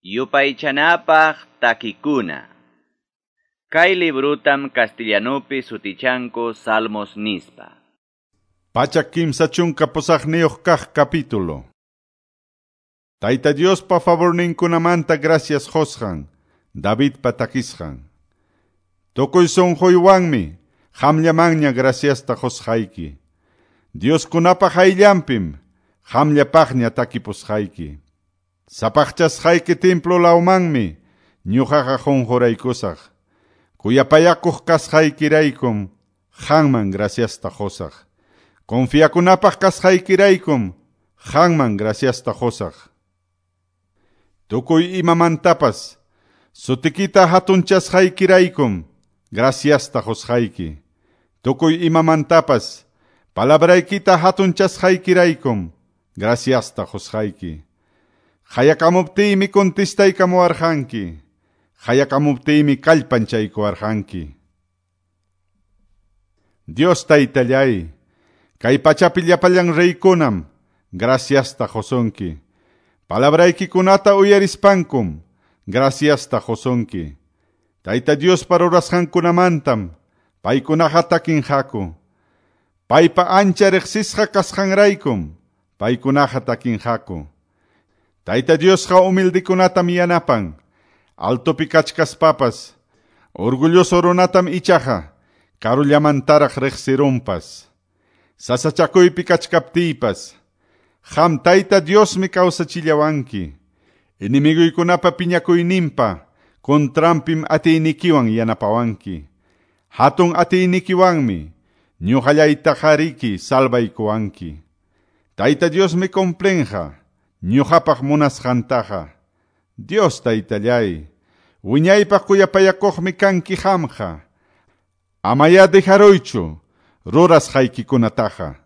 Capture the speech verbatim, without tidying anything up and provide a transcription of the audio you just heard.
Yupaychanapaq takikuna. Kay librutam castellanupi sutichanku Salmos nispa. Pachak kimsa chunka pusaqniyuq kaq capítulo. Tayta Diospa favorninkunamanta gracias qusqan, Davidpa takisqan. Tukuy sunquywanmi qamllamanña graciasta qusqayki. Dioskunapa qayllanpim qamllapaqña takipusqayki. Sapaqchasqayki templo lawmanmi ñuqaqa qunquraykusaq. Kuyapayakuq kasqaykiraykum qamman graciasta qusaq. Confiakunapaq kasqaykiraykum qamman graciasta qusaq. Tukuy imamantapas sutikita hatunchasqaykiraykum graciasta qusqayki. Tukuy imamantapas palabraykita hatunchasqaykiraykum graciasta qusqayki. Qayakamuptiymi contestaykamuwarqanki. Qayakamuptiymi kallpanchaykuwarqanki. Dios Taytallay, kay pachapi llapallan reykunam graciasta qusunki. Palabraykikunata uyarispankum graciasta qusunki. Tayta Diospa rurasqankunamantam paykunaqa takinqaku. Paypa ancha riqsisqa kasqanraykum paykunaqa takinqaku. Tayta Diosqa humildekunatam yanapan, altopi kachkaspapas, orgulloso runatam ichaqa karullamantaraq riqsirunpas. Sasachakuypi kachkaptiypas, qam Tayta Diosmi kawsachillawanki. Enemiguykunapa piñakuyninpa contranpim atiynikiwan yanapawanki. Hatun atiynikiwanmi ñuqallaytaqariki salvaykuwanki. Tayta Diosmi cumplinqa ñuqapaq munasqantaqa. Dios Taytallay, wiñaypaq kuyapayakuqmi kanki qamqa. Amaya dejaruychu rurasqaykikunataqa.